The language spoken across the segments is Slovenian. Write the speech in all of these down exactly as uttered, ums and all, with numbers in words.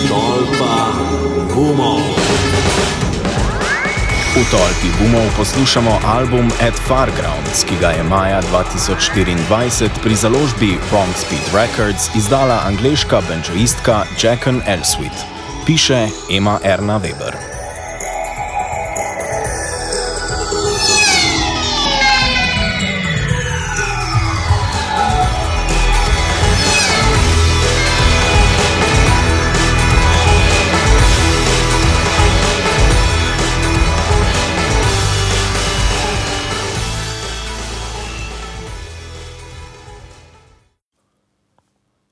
Tolpa gumov. V Tolpi gumov poslušamo album At Fargrounds, ki ga je maja dva tisoč štiriindvajset pri založbi Wrong Speed Records izdala angleška banjoistka Jacqueline Elswit. Piše Ema Erna Weber.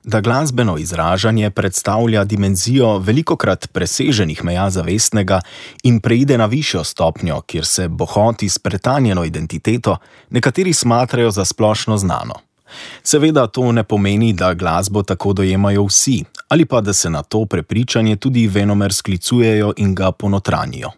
Da glasbeno izražanje predstavlja dimenzijo velikokrat preseženih meja zavestnega in preide na višjo stopnjo, kjer se bohoti s pretanjeno identiteto, nekateri smatrajo za splošno znano. Seveda to ne pomeni, da glasbo tako dojemajo vsi, ali pa da se na to prepričanje tudi venomer sklicujejo in ga ponotranjijo.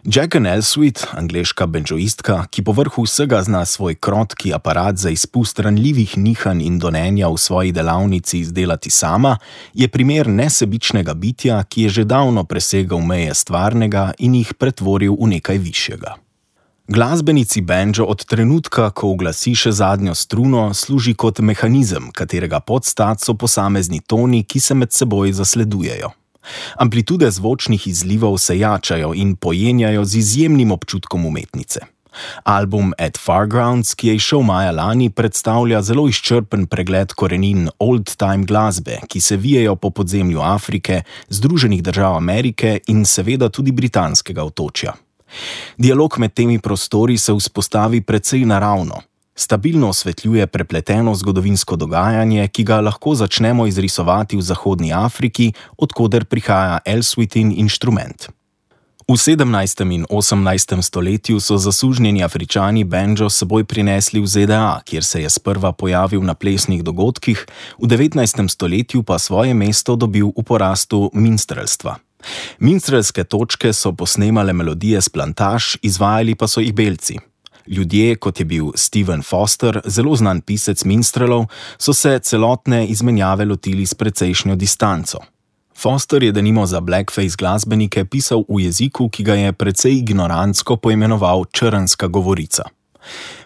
Jacqueline Elswit, angleška banjoistka, ki povrhu vsega zna svoj krotki aparat za izpust ranljivih nihanj in donenja v svoji delavnici izdelati sama, je primer nesebičnega bitja, ki je že davno presegal meje stvarnega in jih pretvoril v nekaj višjega. Glasbenici banjo od trenutka, ko uglasi še zadnjo struno, služi kot mehanizem, katerega podstat so posamezni toni, ki se med seboj zasledujejo. Amplitude zvočnih izlivov se jačajo in pojenjajo z izjemnim občutkom umetnice. Album At Fargrounds, ki je izšel maja lani, predstavlja zelo izčrpen pregled korenin old-time glasbe, ki se vijejo po podzemlju Afrike, Združenih držav Amerike in seveda tudi britanskega otočja. Dialog med temi prostori se vzpostavi precej naravno. Stabilno osvetljuje prepleteno zgodovinsko dogajanje, ki ga lahko začnemo izrisovati v Zahodni Afriki, od koder prihaja Elswitin inštrument. V sedemnajstem in osemnajstem stoletju so zasužnjeni Afričani banjo s seboj prinesli v Z D A, kjer se je sprva pojavil na plesnih dogodkih, v devetnajstem stoletju pa svoje mesto dobil v porastu minstrelstva. Minstrelske točke so posnemale melodije s plantaž, izvajali pa so jih belci. Ljudje, kot je bil Stephen Foster, zelo znan pisec minstrelov, so se celotne izmenjave lotili s precejšnjo distanco. Foster je denimo za blackface glasbenike pisal v jeziku, ki ga je precej ignorantsko poimenoval črnska govorica.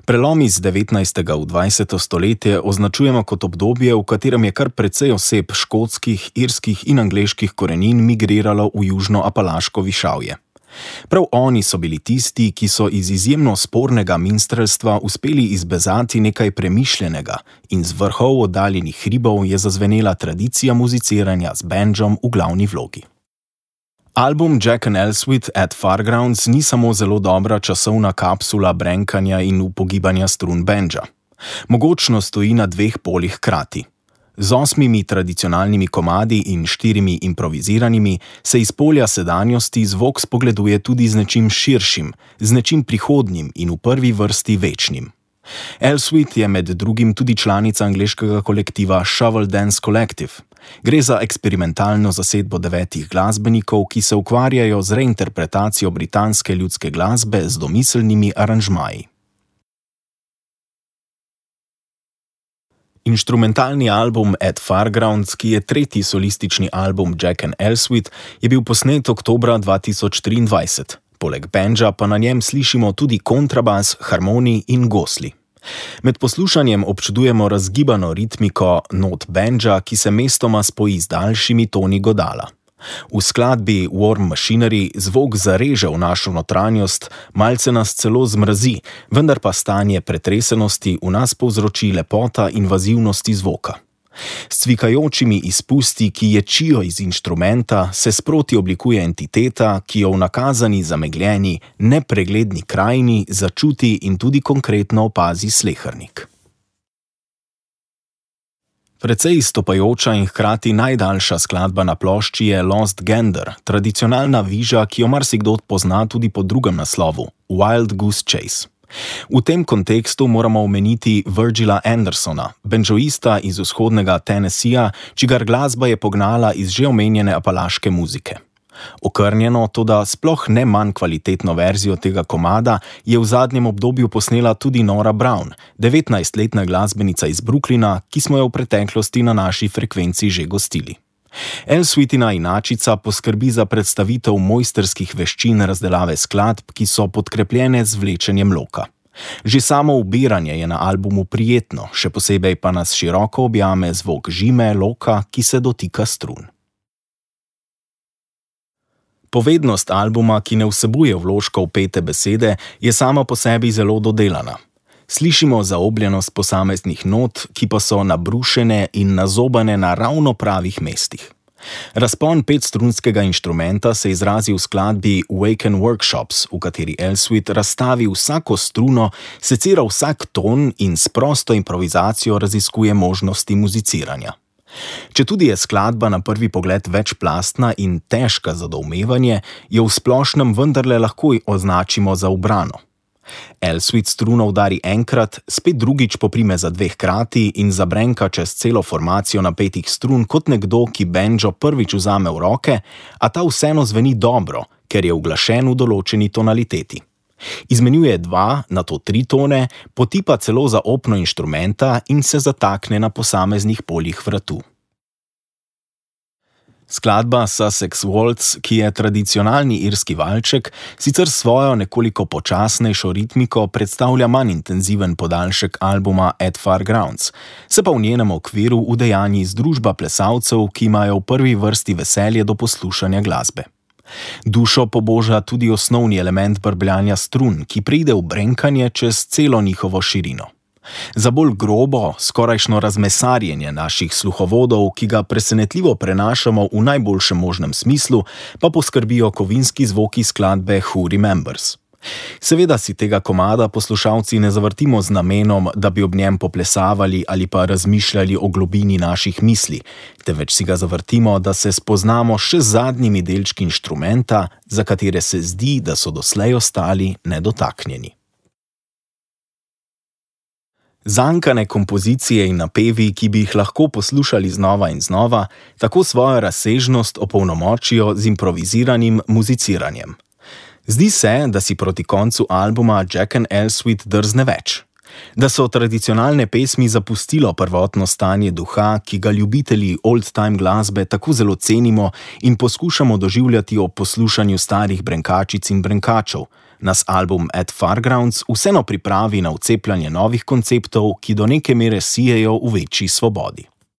Prelom iz devetnajstega v dvajseto stoletje označujemo kot obdobje, v katerem je kar precej oseb škotskih, irskih in angleških korenin migriralo v južno-apalaško višavje. Prav oni so bili tisti, ki so iz izjemno spornega minstrelstva uspeli izbezati nekaj premišljenega in z vrhov oddaljenih hribov je zazvenela tradicija muziciranja z bandžom v glavni vlogi. Album Jacqueline Elswit At Fargrounds ni samo zelo dobra časovna kapsula brenkanja in upogibanja strun bandža. Mogočno stoji na dveh polih hkrati. Z osmimi tradicionalnimi komadi in štirimi improviziranimi se iz polja sedanjosti zvok spogleduje tudi z nečim širšim, z nečim prihodnjim in v prvi vrsti večnim. Elswit je med drugim tudi članica angleškega kolektiva Shovel Dance Collective. Gre za eksperimentalno zasedbo devetih glasbenikov, ki se ukvarjajo z reinterpretacijo britanske ljudske glasbe z domiselnimi aranžmaji. Inštrumentalni album At Fargrounds, ki je tretji solistični album Jacqueline Elswit, je bil posnet oktobra dva tisoč triindvajset. Poleg bandža pa na njem slišimo tudi kontrabas, harmonij in gosli. Med poslušanjem občudujemo razgibano ritmiko not bandža, ki se mestoma spoji z daljšimi toni godala. V skladbi War Machinery zvok zareže v našo notranjost, malce nas celo zmrazi, vendar pa stanje pretresenosti v nas povzroči lepota invazivnosti zvoka. S cvikajočimi izpusti, ki ječijo iz inštrumenta, se sproti oblikuje entiteta, ki jo v nakazani, zamegljeni, nepregledni krajini začuti in tudi konkretno opazi slehernik. Precej izstopajoča in hkrati najdaljša skladba na plošči je Lost Gander, tradicionalna viža, ki jo marsikdo pozna tudi po drugem naslovu, Wild Goose Chase. V tem kontekstu moramo omeniti Virgila Andersona, banjoista iz vzhodnega Tennesseeja, čigar glasba je pognala iz že omenjene apalaške muzike. Okrnjeno, toda sploh ne manj kvalitetno verzijo tega komada je v zadnjem obdobju posnela tudi Nora Brown, devetnajstletna glasbenica iz Brooklyna, ki smo jo v preteklosti na naši frekvenci že gostili. Elsweetina inačica poskrbi za predstavitev mojstrskih veščin razdelave skladb, ki so podkrepljene z vlečenjem loka. Že samo ubiranje je na albumu prijetno, še posebej pa nas široko objame zvok žime loka, ki se dotika strun. Povednost albuma, ki ne vsebuje vložkov pete besede, je sama po sebi zelo dodelana. Slišimo zaobljenost posameznih not, ki pa so nabrušene in nazobane na ravno pravih mestih. Razpon petstrunskega inštrumenta se izrazi v skladbi Waken Workshops, v kateri Elsweet razstavi vsako struno, secira vsak ton in s prosto improvizacijo raziskuje možnosti muziciranja. Četudi je skladba na prvi pogled večplastna in težka za doumevanje, jo v splošnem vendarle lahko označimo za ubrano. Elsweet struno udari enkrat, spet drugič poprime za dve hkrati in zabrenka čez celo formacijo napetih strun kot nekdo, ki bendžo prvič vzame v roke, a ta vseeno zveni dobro, ker je uglašen v določeni tonaliteti. Izmenjuje dva, nato tri tone, potipa celo za opno inštrumenta in se zatakne na posameznih poljih vratu. Skladba Sussex Waltz, ki je tradicionalni irski valček, sicer svojo nekoliko počasnejšo ritmiko predstavlja manj intenziven podaljšek albuma At Far Grounds, se pa v njenem okviru udejanji združba plesalcev, ki imajo v prvi vrsti veselje do poslušanja glasbe. Dušo poboža tudi osnovni element brbljanja strun, ki pride v brenkanje čez celo njihovo širino. Za bolj grobo, skorajšno razmesarjenje naših sluhovodov, ki ga presenetljivo prenašamo v najboljšem možnem smislu, pa poskrbijo kovinski zvoki skladbe Who Remembers. Seveda si tega komada poslušalci ne zavrtimo z namenom, da bi ob njem poplesavali ali pa razmišljali o globini naših misli, temveč si ga zavrtimo, da se spoznamo še z zadnjimi delčki inštrumenta, za katere se zdi, da so doslej ostali nedotaknjeni. Zankane kompozicije in napevi, ki bi jih lahko poslušali znova in znova, tako svojo razsežnost opolnomočijo z improviziranim muziciranjem. Zdi se, da si proti koncu albuma Jack and Elsweet drzne več. Da so tradicionalne pesmi zapustilo prvotno stanje duha, ki ga ljubitelji old-time glasbe tako zelo cenimo in poskušamo doživljati ob poslušanju starih brenkačic in brenkačev, nas album At Far Grounds vseeno pripravi na vcepljanje novih konceptov, ki do neke mere sijejo v večji svobodi.